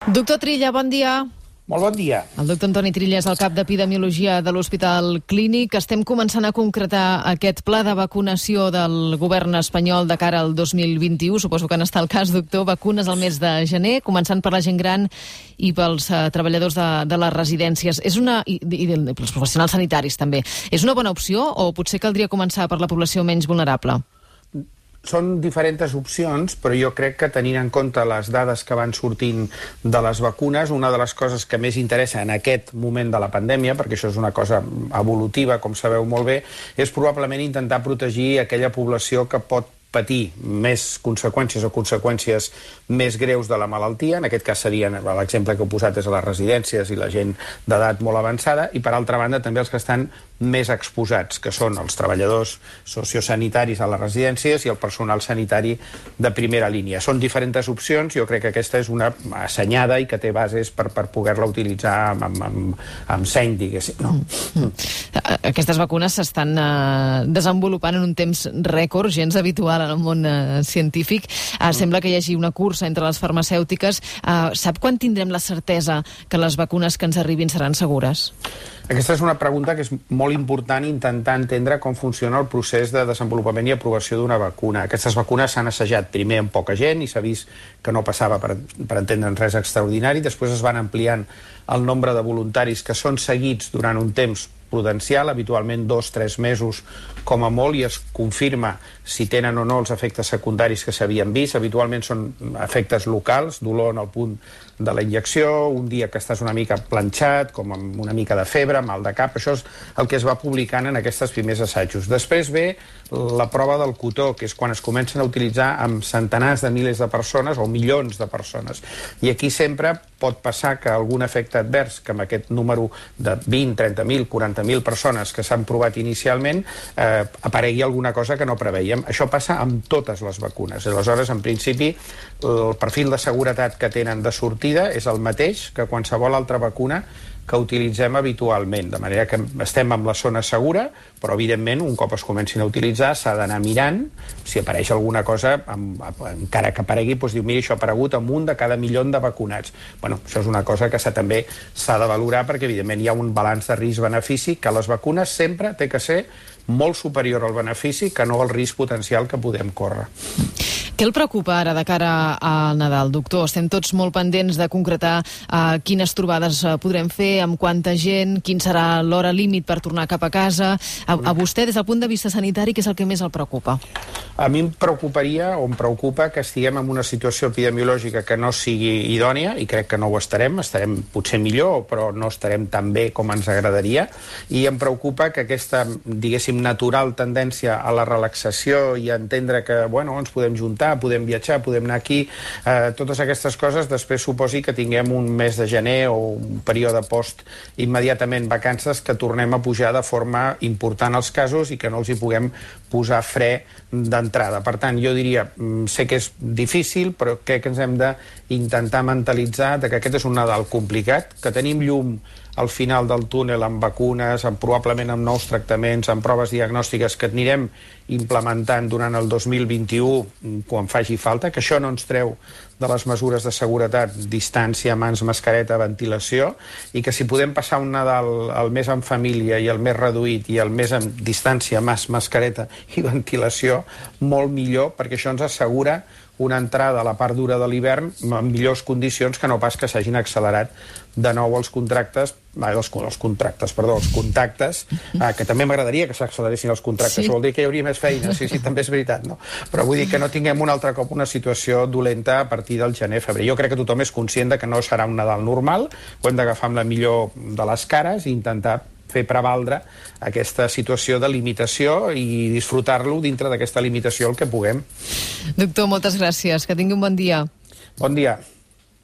Doctor Trilla, bon dia. Molt bon dia. El doctor Antoni Trilla és el cap d'Epidemiologia de l'Hospital Clínic. Estem començant a concretar aquest pla de vacunació del govern espanyol de cara al 2021. Suposo que n'està el cas, doctor. Vacunes al mes de gener, començant per la gent gran i pels treballadors de les residències. I pels professionals sanitaris, també. És una bona opció o potser caldria començar per la població menys vulnerable? Són diferents opcions, però jo crec que tenint en compte les dades que van sortint de les vacunes, una de les coses que més interessa en aquest moment de la pandèmia, perquè això és una cosa evolutiva, com sabeu molt bé, és probablement intentar protegir aquella població que pot patir més conseqüències o conseqüències més greus de la malaltia. En aquest cas serien, l'exemple que he posat és a les residències i la gent d'edat molt avançada, i per altra banda també els que estan més exposats, que són els treballadors sociosanitaris a les residències i el personal sanitari de primera línia. Són diferents opcions, jo crec que aquesta és una assenyada i que té bases per poder-la utilitzar amb seny, diguéssim. No? Aquestes vacunes s'estan desenvolupant en un temps rècord, gens habitual en el món científic. Sembla que hi hagi una cursa entre les farmacèutiques. Sap quan tindrem la certesa que les vacunes que ens arribin seran segures? Aquesta és una pregunta que és molt important, intentar entendre com funciona el procés de desenvolupament i aprovació d'una vacuna. Aquestes vacunes s'han assajat primer amb poca gent i s'ha vist que no passava, per entendre'n, res extraordinari. Després es van ampliant el nombre de voluntaris que són seguits durant un temps prudencial, habitualment 2-3 mesos com a molt, i es confirma si tenen o no els efectes secundaris que s'havien vist. Habitualment són efectes locals, dolor en el punt de la injecció, un dia que estàs una mica planxat, com amb una mica de febre, mal de cap. Això és el que es va publicant en aquests primers assajos. Després ve la prova del cotó, que és quan es comencen a utilitzar amb centenars de milers de persones o milions de persones. I aquí sempre pot passar que algun efecte advers, que amb aquest número de 20, 30.000, 40.000 persones que s'han provat inicialment, aparegui alguna cosa que no preveiem. Això passa amb totes les vacunes. Aleshores, en principi, el perfil de seguretat que tenen de sortida és el mateix que qualsevol altra vacuna que utilitzem habitualment, de manera que estem en la zona segura, però evidentment un cop es comencin a utilitzar s'ha d'anar mirant si apareix alguna cosa, encara que aparegui, doncs diu, mira, això ha aparegut amb un de cada milió de vacunats. Bueno, això és una cosa que també s'ha de valorar, perquè evidentment hi ha un balanç de risc-benefici, que les vacunes sempre té que ser molt superior al benefici que no al risc potencial que podem córrer. Què el preocupa ara de cara al Nadal, doctor? Estem tots molt pendents de concretar quines trobades podrem fer, amb quanta gent, quin serà l'hora límit per tornar cap a casa. A vostè, des del punt de vista sanitari, què és el que més el preocupa? A mi em preocupa que estiguem en una situació epidemiològica que no sigui idònia, i crec que no ho estarem potser millor, però no estarem tan bé com ens agradaria, i em preocupa que aquesta, diguéssim, natural tendència a la relaxació i a entendre que, bueno, ens podem juntar, podem viatjar, podem anar aquí, totes aquestes coses després suposi que tinguem un mes de gener o un període post immediatament vacances que tornem a pujar de forma important els casos i que no els hi puguem posar fre d'entrada. Per tant, jo diria, sé que és difícil, però crec que ens hem d'intentar mentalitzar que aquest és un Nadal complicat, que tenim llum al final del túnel amb vacunes, probablement amb nous tractaments, amb proves diagnòstiques que anirem implementant durant el 2021 quan faci falta, que això no ens treu de les mesures de seguretat, distància, mans, mascareta, ventilació, i que si podem passar un Nadal el més en família i el més reduït i el més en distància, mascareta i ventilació, molt millor, perquè això ens assegura una entrada a la part dura de l'hivern en millors condicions que no pas que s'hagin accelerat de nou els contactes, que també m'agradaria que s'acceleressin els contractes, això vol dir que hi hauria més feina, sí, també és veritat, no? Però vull dir que no tinguem un altre cop una situació dolenta a partir del gener-febrer. Jo crec que tothom és conscient que no serà un Nadal normal, ho hem d'agafar amb la millor de les cares i intentar fer prevaldre aquesta situació de limitació i disfrutar-lo dintre d'aquesta limitació el que puguem. Doctor, moltes gràcies. Que tingui un bon dia. Bon dia.